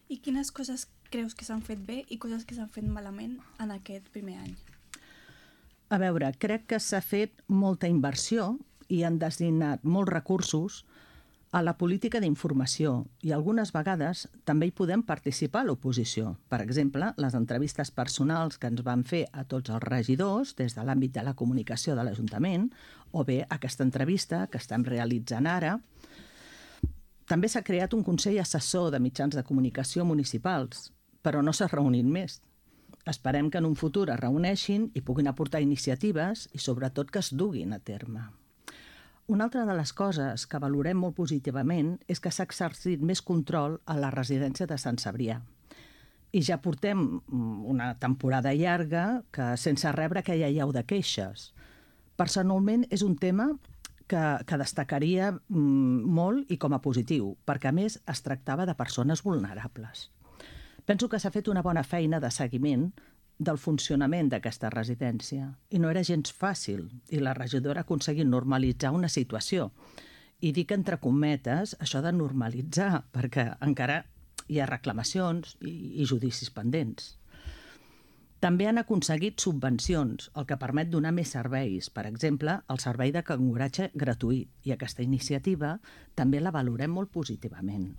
I quines coses creus que s'han fet bé i coses que s'han fet malament en aquest primer any? A veure, crec que s'ha fet molta inversió i han destinat molts recursos a la política d'informació i algunes vegades també hi podem participar a l'oposició. Per exemple, les entrevistes personals que ens van fer a tots els regidors des de l'àmbit de la comunicació de l'Ajuntament o bé aquesta entrevista que estem realitzant ara. També s'ha creat un Consell Assessor de Mitjans de Comunicació Municipals, però no s'ha reunit més. Esperem que en un futur es reuneixin i puguin aportar iniciatives i sobretot que es duguin a terme. Una altra de les coses que valorem molt positivament és que s'ha exercit més control a la residència de Sant Cebrià. I ja portem una temporada llarga que sense rebre aquella llau de queixes. Personalment és un tema que destacaria molt i com a positiu, perquè a més es tractava de persones vulnerables. Penso que s'ha fet una bona feina de seguiment del funcionament d'aquesta residència i no era gens fàcil i la regidora ha aconseguit normalitzar una situació. I dic entre cometes això de normalitzar perquè encara hi ha reclamacions i judicis pendents. També han aconseguit subvencions, el que permet donar més serveis, per exemple, el servei de canguratge gratuït, i aquesta iniciativa també la valorem molt positivament.